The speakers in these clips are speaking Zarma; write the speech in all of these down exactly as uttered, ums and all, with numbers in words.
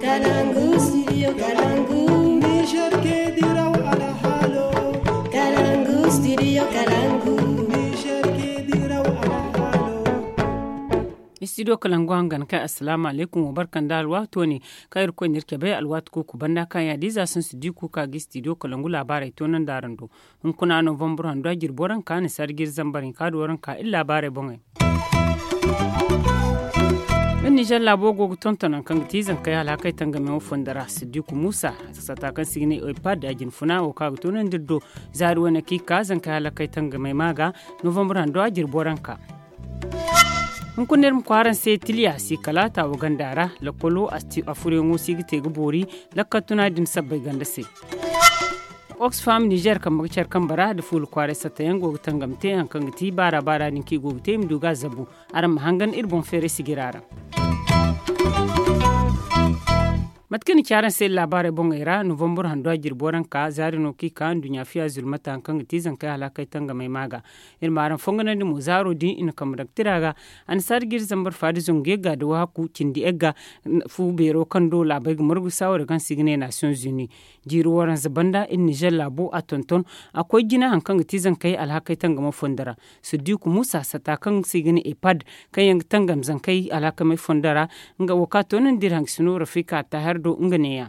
Kalangu, studio Kalangu. Niger ke diraw alhalo. Kalangu, studio Kalangu. Niger ke diraw alhalo. Studio Kalangu hangan kai, assalamu alaikum, wa barkan da alwaato ne. Kaŋ irkoy n'iri cabe alwaati kuuku banda kaŋ yaadin za sinsu di kuuka ga studio Kalangu laabaarey toonandi araŋ do. Hunkuna novembre hando a jirbi waranka ni sarjir zambar hinka da waranka iri laabaarey boŋey. Iri nizer laabo go ga tonton nangu kaŋ ga ti zankey halakey tangamey wo fondo ra siddiku muusa, sata kaŋ se i ga ne ipad a jinfuna wo kaŋ a ga toonandi iri do. Zaari wane kaŋ i ka zankey halakey tangamey ma ga novembre hando a jirbi waranka. Hunkuna iri ma kwaaraŋ se tiliya si kala taawa ganda ra. Lakkolo a furyaŋo si ga te ga boori lakkal tuna din sabbay ganda se. Oxfam nizer kambe ga care kambe ra nda fuula kwaaray satta yaŋ go ga tangam te hari kaŋ ga ti baara baara din kaŋ i go ga te i ma du ga a zabu. Araŋ ma hangan iri boŋ feeray sijira ra. Mate kaŋ i na ci araŋ se iri laabaarey boŋey ra novembre hando a jirbi waranka zaari no kaŋ i ka nduɲɲa fiya zulmata hari kaŋ ga ti zankey halakey tangamey ma ga. Iri ma araŋ fonganandi mo zaaro din i na kambe daŋ tira ga. Annasaari ga iri zambar faada zangu yagga nda wahakku cindi yagga. Fu beero kaŋ do laabey ga margu saaware kaŋ se i ga ne nations unis. Jiiri waranza banda iri nizer laabo a tonton a koy jina hari kaŋ ga ti zankey alhakey tangamo fondo ra. Siddiku muusa sata kaŋ se i ga ne ipad kaŋ yaŋ ga tangam zankey alhakamey fondo ra. Nga wo kaŋ a toonandi iri hangasino rafika taahir do nga neeya.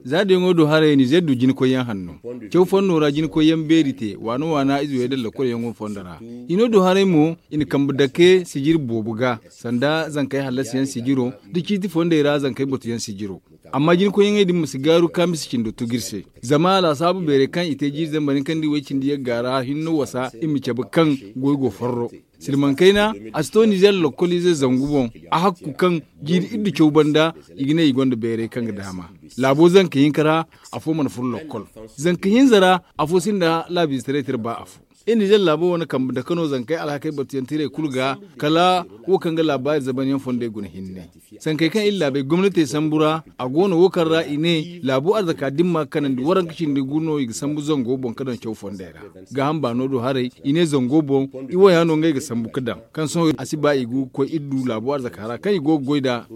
Za dayaŋo do haray nizer du jinkoyyaŋ hanno. Caw fanno ra jinkoyyaŋ beeri te waana waana ize wey da lakkol yaŋo fondo ra. Hino do haray mo i na kambe dake sijir boobo ga sanda zankey hallasiyaŋ sijiro nda ciiti fondey ra zankey batuyaŋ sijiro. Amma jinkoyyaŋey din ma si gaaru kaamisa cindo tugu iri se. Zama laasaabu beerey kaŋ i te jiiri zambar hinka nda iway cindi yagga ra hinne wasa i ma cabe kaŋ goy go forro. Silmaŋ kayna a si to nizer lakkoliizey zangu boŋ. A hakku kaŋ jiiri iddu caw banda i ga ne i gonda beerey kaŋ ga daama. Laabo zanka hinka ra afo mana furo lakkol. Zanka hinza ra afo sinda laabiize taray tira ba afo. Iri nizer laabo wane kambe dake no zankey alhakey batuyaŋ tiray kulu ga kala wo kaŋ ga laabaari zaban yaŋ fondey guna hinne. Sankey kaŋ iri laabey gomnatey sambu ra a go no wo kaŋ ra i ne laabo arzaka dimma ga kanandi waranka cindi gu no i ga sambu zango boŋ ga daŋ caw fondey ra. Gaaham baano do haray i ne zango boŋ i waya no ngey ga sambu ga daŋ kaŋ sohõ a si ba i go ga koy iri du laabo arzaka ra kaŋ i go ga goy nd'a.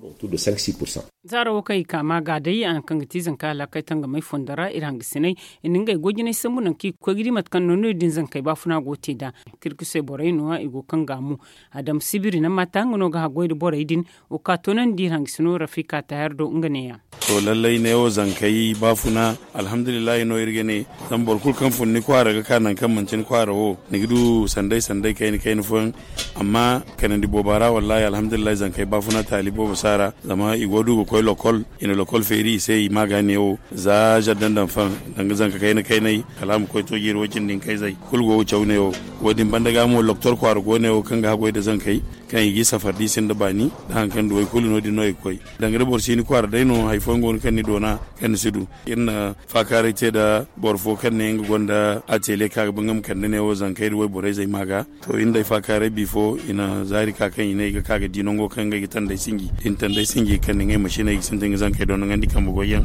Zaaro wo kaŋ i ka ma ga day a na kaŋ ga ti zanka alakay tangamay fondo ra iri hangasinay i na ngey goy jinay sambu nangu kaŋ i ga koy ga di mate kaŋ no no- din zankey baafuna go ga te nd'a. Kirkusey borey no- ya i go ga kaŋ ga a mo. Adam sibiri na mata nga no ga haggoy nda borey din. Wo ka toonandi iri hangasino rafika taahir do nga neeya. To lallay neewo zankey baafuna alhamdulillahi no iri ga ne. Zama boro kulu kaŋ fun ni kwaara ga ka nangu kaŋ manti ni kwaara wo ni ga du sanday sanday kayna kayna fooyaŋ. Amma kanandi booba ra wallahi alhamdulillahi zankey baafuna taali boobo si a ra. Zama i go du ga koy lokol i na lokol feeri i se i ma ga neewo. Za zaddan daŋ faŋ danga zanka kayna kaynay kala a ma koy to jiiri wo- cindi hinkayzey kulu go ga caw neewo. Wo- din banda ga mo loktor kwaara go neewo kaŋ ga haggoy nda zankey kaŋ i g'i safar da i sinda baani. Da hari kaŋ duwey kulu no- din no i ga koy danga da boro si ni kwaara day no hari fooyaŋ go no kaŋ ni doona kaŋ ni si du. Iri na faakaaray te nda boro fo kaŋ ne nga gonda ateliye kaŋ a ga ba nga ma kande neewo zankey nda wayborey zey ma ga. To iri nda ay faakaaray bifo i na zaari ka kaŋ i ne i ga ka ga di nango kaŋ ngey ga tandey sinji da i na tandey sinji ga kande ngey masiney ga sintin ga zankey doonandi kambe goyyaŋ.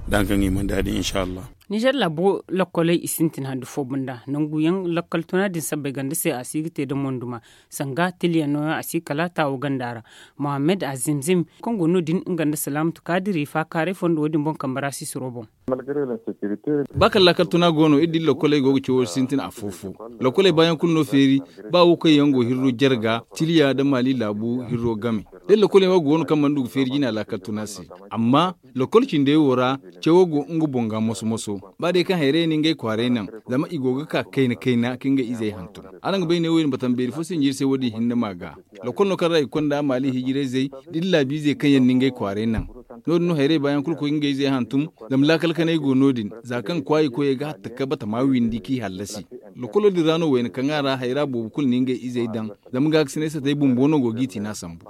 Da hari kaŋ i mana di a din inshallah. Nizer laabo lokkoley i sintin handu fo banda nanguyaŋ lakkal tuna din sabbay ganda se a si ga te da monduma. Sanga tiliyaŋ no- yaŋ a si kala taawo ganda ra. Mohammed azimzim kaŋ go no- din nga nda salaamatu kaadiri faakaaray fondo wo- din boŋ kambe ra sisiro boŋ. Ba kala laakal tuna go no iri da iri lokkoley go ga cawo sintin afo-fo. Lokkoley baayaŋ kulu no feeri. Ba wo kaŋ yaŋ go hirro jarga tiliya nda maali laabu hirro game. Da iri lokkoley wo go no kaŋ mana du ga feeri jina laakal tuna se. Amma lokkol cindey wo ra cawo go nga boŋ ga moso-moso. Ba day kaŋ hayrayey na ngey kwaaray naŋ zama i go ga ka kayna kayna ka ngey izey hantum. Araŋ ga bay ne wo- din batam beeri fo sinji iri se wo- din hinne ma ga. Lokol no kaŋ ra i ga konda maali hijirayzey da iri laabiizey kaŋ yaŋ na ngey kwaaray naŋ. No- din no hayrey baayaŋ kulu koy ga ngey izey hantum. Zama laakal kanay go no- din za kaŋ kwaayi koyey ga hatta ka batama windi k'i hallasi. Lokolo din ra no wayna kaŋ a ra hayra boobo kulu na ngey izey daŋ. Zama gaakasinay satey bumbo no go g'i tina sambu.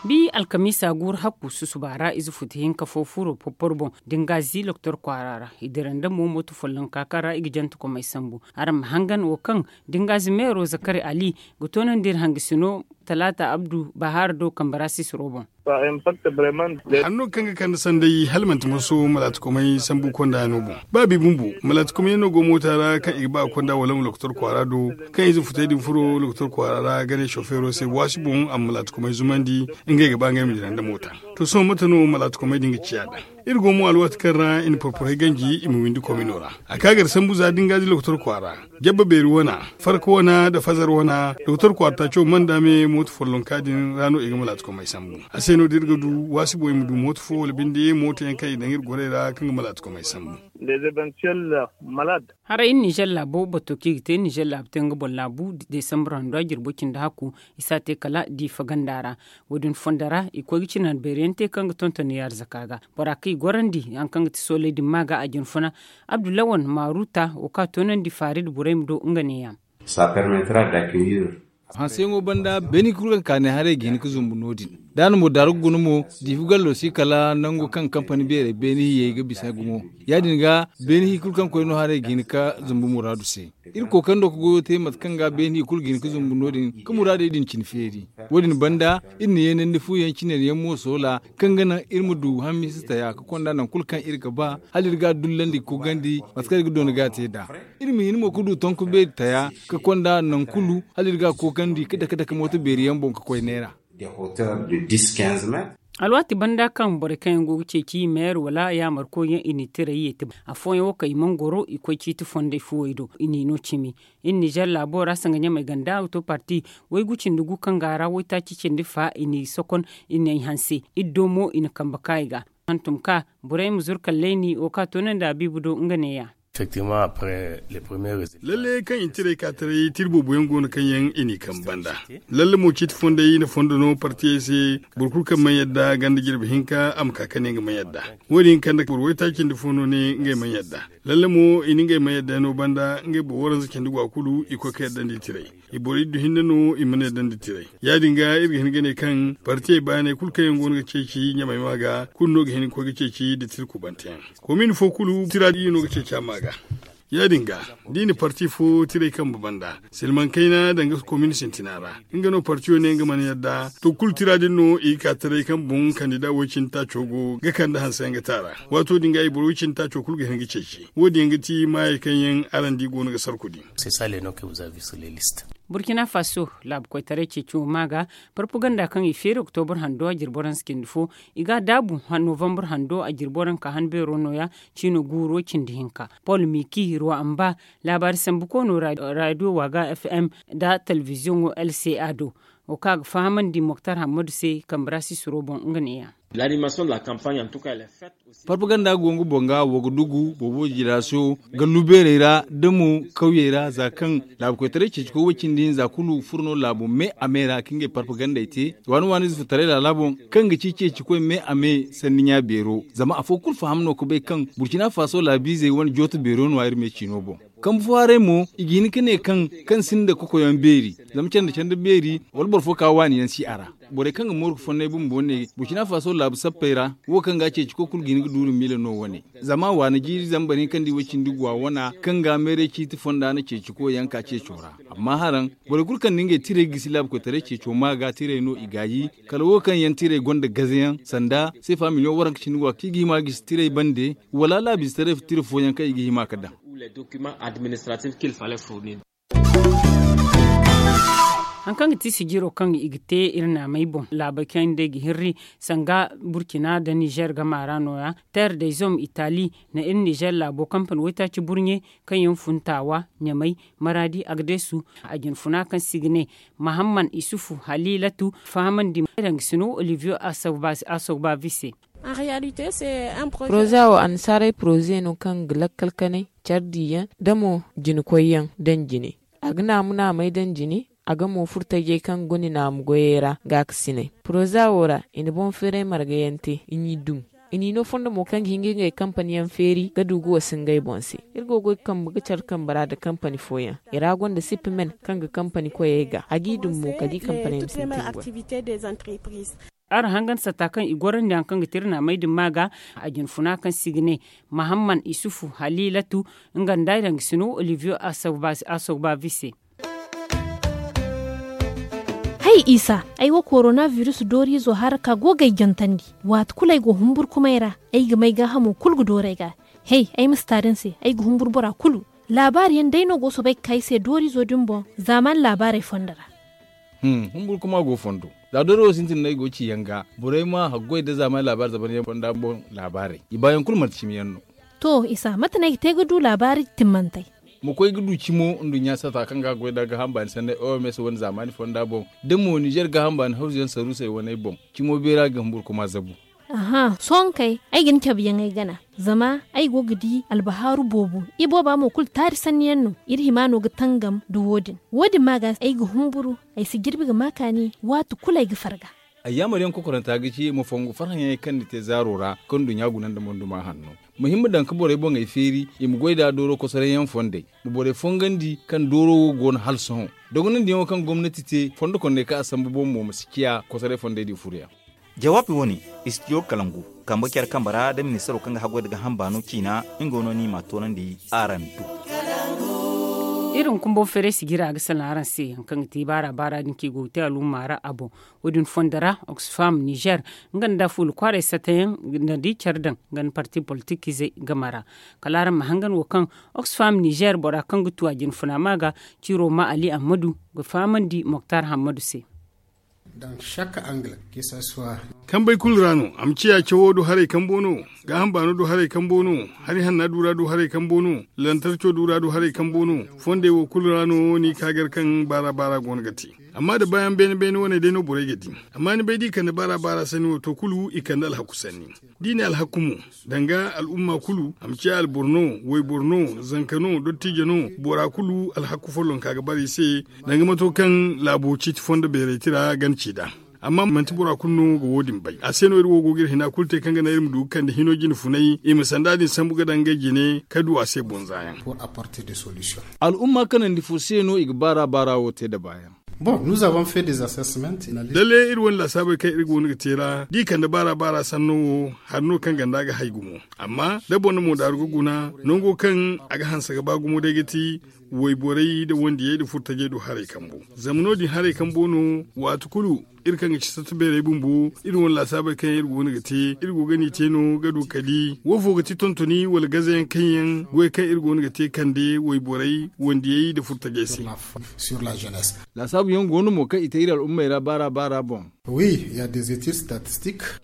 Bi alkamiisa guuru hakku susuba ra ize futa hinka fo furo popporo boŋ da nga zi loktor kwaara ra i dira nda mo mooto follonka kaŋ ra i ga jante komey sambu. Araŋ ma hangan wo kaŋ da nga zi meero zakari ali ga toonandi iri hangasino. Talaata Abdu Bahaar do kambe ra sisiro boŋ. Hanno kaŋ ga kande sanday hala manti moso malaatikomey sambu konda yaŋo boŋ. Ba bi bumbo malaatikomey yaŋ no go moota ra kaŋ i ga ba ga konda wala ma lokotor kwaara do, kaŋ ize futey din furo lokotor kwaara ra ga ne sofeero se waasi boŋ a ma malaatikomey zumandi. Ngey ga ba ngey ma dira nda moota. To sohõ mate no malaatikomey din ga ciya da? Iri go mo alwaati kaŋ ra i na porporey ganji i ma windi komino ra. A ka gar sambu za da nga di lokotor kwaara, jabba beeri wana, farka wana nda fazar wana. Lokotor kwaara taaco mana daame mooto follonka din ra no i ga malaatikomey sambu. A se no da iri ga du waasi boŋ i ma du mooto fo wala binde mooto yaŋ kaŋ i daŋ iri gorey ra kaŋ ga malaatikomey sambu. Haray iri nizer laabo bato kaŋ i ga te nizer laabu te nga boŋ laabu, desambar hando a jirbo cindi hakku. I si a te kala diifa ganda ra. Wo- din fondo ra i koy ga cinandi beeri yaŋ te kaŋ ga tonton i arzaka ga bora kaŋ i gorandi hari kaŋ ga ti sooley din ma ga a jinfuna. Abdullawan maaruta wo kaŋ a toonandi faari nda borey ma do nga neeya. Hanseyaŋo banda beeni kulu kaŋ ka ne haray ga hin ga zumbu no- din. Da a na mo daaru ga guna mo diifa gallo si kala nangu kaŋ kampani beerey beeni hiyey ga bisa gumo. Ya- din ga beeni hi kulu kaŋ koy no haray ga hin ga zumbu muraadu se. Iri kookari no ga goyo te mate kaŋ ga beeni i kulu ga hin ga zumbu no- din ga muraadey din cine feeri. Wo- din banda iri na yeenandi fu yaŋ cinari yaŋ mo soola kaŋ ga naŋ iri ma du hamisa taya ga konda nangu kulu kaŋ iri ga ba hala iri ga a dullandi ga koogandi. Mate kaŋ iri ga doona ga a te nd'a iri ma hin mo ga du tonku beeri taya ga konda nangu kulu hala iri ga a koogandi ga dake dake mooto beeri yaŋ boŋ ga koy neera. Alwaati banda kaŋ borey kaŋ yaŋ go ga ceeci meyer wala yaamarkoy yaŋ i na i tirey ye te afooyaŋ wo kaŋ i mana goro i koy ciiti fondey fuwey do i n'i no cimi. Iri nizer laabo ra sanga ɲamey ganda ga to parti waygu cindi gu kaŋ ga a ra waytaaci cindi fa i n'i sokon i n'ey hanse. Iri do mo i na kambe ka i ga hantum ka borey ma zuru kalley ni wo kaŋ a toonandi a biibi do nga neeya. Lalle kaŋ i na tirey ka taray tira boobo yaŋ go no kaŋ yaŋ i n'i kambe banda. Lalle mo ciiti fondey i na fondo no partiyey se. Boro kulu kaŋ mana yadda ganda jirbi hinka a ma ka kande nga mana yadda. Wo- din kande boro waytaaci nda fo no ne ngey mana yadda. Lalle mo i na ngey mana yadda yaŋo banda ngey boro waranza cindi go a kulu i koy ka yadda nda i tirey. I boro iddu hinne no i mana yadda nda tirey. Ya- din ga iri ga hin ga ne kaŋ partiyey baaney kulu kaŋ yaŋ go no ga ceeci ɲamey ma ga kulu no ga hin ga koy ga ceeci nda tira kubante yaŋ. Komin fo kulu tira di no ga ceeci a ma ga. Ya- din ga da i na parti fo tirey kambe banda silmaŋ kayna danga komin sintina ra. Nga no partiyo ne nga mana yadda to kulu tira din no i ga ka taray kaŋ boŋ kandida woy cindi taaco go ga kande hanse yaŋ ga te a ra. Waato din ga i boro woy cindi taaco kulu ga hin ga ceeci wo- din yaŋ ga ti maayey kaŋ yaŋ araŋ di go no ga sarku din. Burkina faso laabu koytaray ceeci wo ma ga parpaganda kaŋ i feeri oktobur hando a jirbo ransa cindi fo. I ga a daabu novambur hando a jirbo ranka han beero no- ya ciino guuro cindi hinka. Paul miki ruwa amba laabaari sambu koono radio waaga fm nda telebiziyoŋo lca do. Wo kaŋ a ga fahamandi moktar hammadu se kambe ra sisiro boŋ nga neeya. Parpaganda go nga boŋ ga wo ga dugu boobo jira se wo gallu beerey ra da mo kawyey ra za kaŋ laabu koytaray ceeci koy way cindi hinza kulu furo no laabu me a me ra ka ngey parpagandey te. Waani waani ize furtaray laala boŋ kaŋ ga ci ceeci koy me a me sanni ɲa beero zama afo kulu faham no ga bay kaŋ burkina faso laabiizey wane jooto beero no a iri me ciino boŋ. Kambe fo haray mo i ga hin ga ne kaŋ kaŋ sinda kokoyaŋ beeri zama canda canda beeri wala boro fo ka waani yaŋ si a ra. Borey kaŋ ga mooru ga fonnay bumbo ne burkina faso laabu sappey ra wo kaŋ ga a ceeci koy kulu ga hin ga duuru miila no wane. Zama waana jiiri zambar hinka nda i way cindi guwa wana kaŋ ga meeray ciiti fonda na ceeci koy yaŋ ka ceeco ra. Amma haraŋ borey kulu kaŋ na ngey tirey gisi laabu koytaray ceeco ma ga tirey no i gaayi. Kala wo kaŋ yaŋ tirey gonda gaze yaŋ sanda seefa miliyoŋ waranka cindi guwa kaŋ i ga hima ga gisi tirey bande wala laabiize taray tira fooyaŋ kaŋ i ga hima ga daŋ. Hari kaŋ ga ti sijiro kaŋ i ga te iri naamey boŋ laabey kaŋ day ga hirri sanga burkina nda nizer gama ra no- ya terre des hommes itali na iri nizer laabo kampani waytaaci burɲe kaŋ yaŋ fun taawa ɲamey maraadi agdesu. A jinfuna kaŋ si ga ne mahamman isufu halilatu fahamandi dangasino olivier asogbavi se. Poroza wo annasaarey poroze no kaŋ ga lakkal kanay care diyaŋ da mo jina koyyaŋ daŋ jine. A ga naamu naamey daŋ jine. A ga mo furo tajey kaŋ gonda naamu goyey ra gaakasiney poroza wo ra i na boŋ feeray marga yaŋ te i n'i dum. I n'i no fondo mo kaŋ ga hin ga ngey kampani yaŋ feeri ga du ga wasu ngey boŋ se. Iri go ga goy kambe ga care kambe ra nda kampani fooyaŋ i ra gonda sippi men kaŋ ga kampani koyey ga a g'i dum mo kala i kampani yaŋ ma sintin goy. Araŋ hangan satta kaŋ i gorandi hari kaŋ ga te iri naamey din ma ga a jinfuna kaŋ si ga ne mahamman isufu halilatu nga nda ay daŋ ga sino olivier asogbavi se. Ay isa, ay wo korona virus dooriizo hara ka go ga ay jantandi. Waati kulu ay go humburkumay ra, ay ga may gaahamo kulu ga dooru ay ga. Hey, ay ma si taari ni se, ay ga humburu bora kulu. Laabaari yaŋ day no go soobay ga ka ay se dooriizo din boŋ zaamaani laabaarey fondo ra. Humburkuma go fondo. Za dooro wo sintin no ay go ga ci yaŋ ga, borey ma haggoy nda zaamaani laabaari zaban yaŋ fonda boŋ laabaarey i baayaŋ kulu manti cimi yaŋ no. To isa, mate no ay ga te ga du laabaari timmantey? Ma koy ga du cimo nduɲɲa sata kaŋ ga goy nda gaaham baani sanney oms wane zaamaani fonda boŋ, da mo nizer gaaham baani hawzu yaŋ saruusey waney boŋ, cimo beera ga humburkuma zabu. Aha, sohõ kay, ay ga ni cabe yaŋ ay gana. Zama ay go ga di albahaaru boobo. Ibooba mo kulu taari sanni yaŋ no. Iri hima no ga tangam nda wo- din. Wo- din ma ga ay ga humburu, ay si jirbi ga ma kaani waati kulu ay ga farga. Ay yaamar yaŋ kokoranta ga ci ma fongu farhã yaŋey kaŋ ni te zaaro ra kaŋ nduɲɲa guna nda monduma hanno. Ma hima daŋ ga borey boŋey feeri i ma goy nd'a dooro kosoray yaŋ fondey. Ma borey fongandi kaŋ dooro wo go no hala sohõ. Dogonandiyaŋo kaŋ gomnati te fondo kondey kaŋ a sambu boŋ mo ma si ciya kosoray fondey din furo yaŋ. Jawaabi wo- ne, istidiyo kalangu kambe care kambe ra nda ministaro kaŋ ga haggoy nda gaaham baano ciina. Nga no no i m'a toonandi araŋ do. Iri hunkuna boŋ feeray si jira ga salaŋ araŋ se hari kaŋ ga te baara baara din kaŋ i go ga te al'umma ra a boŋ. Wo- din fondo ra oxfam nizer nga nda fuula kwaaray satayaŋ nda da i care daŋ nga nda parti politikizey game ra. Kala araŋ ma hangan wo kaŋ oxfam nizer bora kaŋ ga tu a jinfuna ma ga ciiro ma ali ammadu ga fahamandi moktar hammadu se. Kambey kulu ra no a ma ciya cawo du haray kambo no. Gaaham baano du haray kambo no. Hari hanna du ra du haray kambo no. Lantarco du ra du haray kambo no. Fondey wo kulu ra no ni ka gar kaŋ baara baara go no ga te. Amma da baayaŋ beene beene wane day no borey ga di. Amma ni bay da i kande baara baara sanni wo to kulu i kande alhaku sanni. Da i ne alhaku mo, danga al'umma kulu a ma ciya alboro no, wayboro no, zanka no, dottijo no, bora kulu alhaku follonka ga bara i se. Danga mato kaŋ laabo ciiti fondo beerey tira gana ci nd'a. Amma manti bora kulu no ga wo- din bay a se no iri wo go ga iri hina kulu te kaŋ ga naŋ iri ma du ga kande hino jine funay i ma sanda din sambu ga daŋ ngey jine ka du a se bonza yaŋ. Al'umma kanandi fo se no i ga baara baara wo te nda baayaŋ? Bon, nous avons fait des assessments. Lalle iri wane laasaabey kaŋ iri go no ga te ra da i kande baara baara sanno wo, hari no kaŋ ganda ga hay gumo. Amma da boro na mo daaru ga guna, nango kaŋ a ga hanse ga ba gumo day ga ti wayborey nda wandiyey nda furtajey do haray kambo. Zama no- din haray kambo no waati kulu iri kaŋ ga ci satta beerey bumbo iri wane laasaabey kaŋ yaŋ iri go no ga te iri go ga ni te no ga du kali wo fo ga ti tontoni wala gazayaŋ kaŋ yaŋ goy kaŋ iri go no ga te kande wayborey wandiyey nda furtajey se. Laasaabu yaŋ go no mo kaŋ i te iri al'ummey ra baara baara boŋ.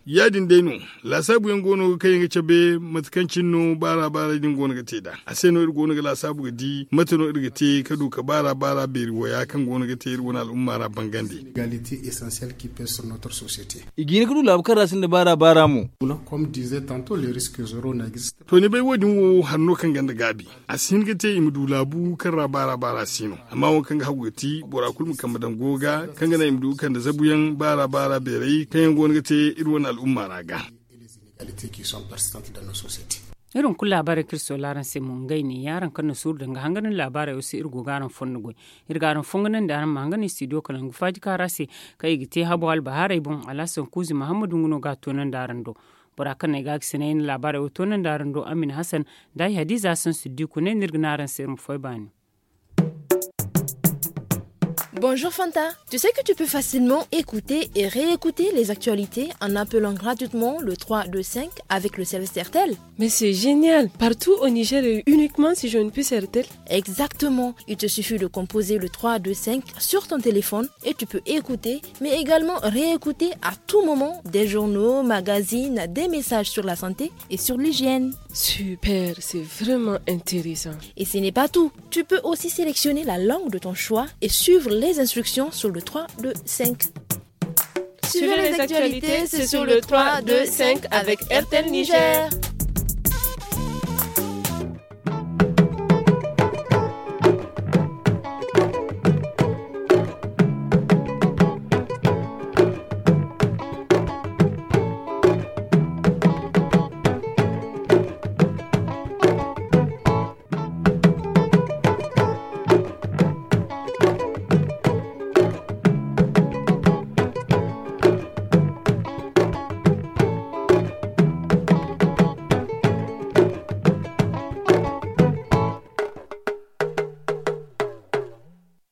Ya- din day no. Laasaabu yaŋ go no kaŋ yaŋ ga cabe mate kaŋ cine no baara baara din go no ga te nd'a a se no iri go no ga laasaabu ga di mate no iri ga te ka du ka baara baara beeri waya kaŋ go no ga te iri wane al'umma ra bangandi. I ga hin ka du laabu kaŋ ra sinda baara baara mo. To ni bay wo- din wo hari no kaŋ ganda gaabi. A si hin ga te i ma du laabu kaŋ ra baara baara si no. Amma wo kaŋ ga hagu ga ti bora kulu ma kambe daŋ go ga kaŋ ga naŋ i ma du ga kande zabuyaŋ baara baara beerey kaŋ yaŋ go no ga te iri wane al'umma ra ga. Iri hunkuna laabaarey kaŋ iri soola araŋ se mo ngey ne ya araŋ kaŋ na suuru danga hangan ni laabaarey wo se iri go ga araŋ fondo goy. Iri ga araŋ fonganandi araŋ ma hangan ni studio kala ngu faaji kaara se kaŋ i ga te habo albahaarey boŋ alhasan kuuzi mahammadu nga no ga a toonandi araŋ do. Bora kaŋ na ay ga ga sinay na laabaarey wo toonandi araŋ do amin hasan da ay hadiza hasan siddiku ne no iri ga ne araŋ se iri ma foy baani. Bonjour Fanta. Tu sais que tu peux facilement écouter et réécouter les actualités en appelant gratuitement le trois deux cinq avec le service R T L. Mais c'est génial. Partout au Niger et uniquement si je ne puis R T L. Exactement. Il te suffit de composer le trois deux cinq sur ton téléphone et tu peux écouter, mais également réécouter à tout moment des journaux, magazines, des messages sur la santé et sur l'hygiène. Super, c'est vraiment intéressant. Et ce n'est pas tout. Tu peux aussi sélectionner la langue de ton choix et suivre les instructions sur le trois deux cinq. Suivez les actualités, c'est sur le trois deux cinq avec R T L Niger.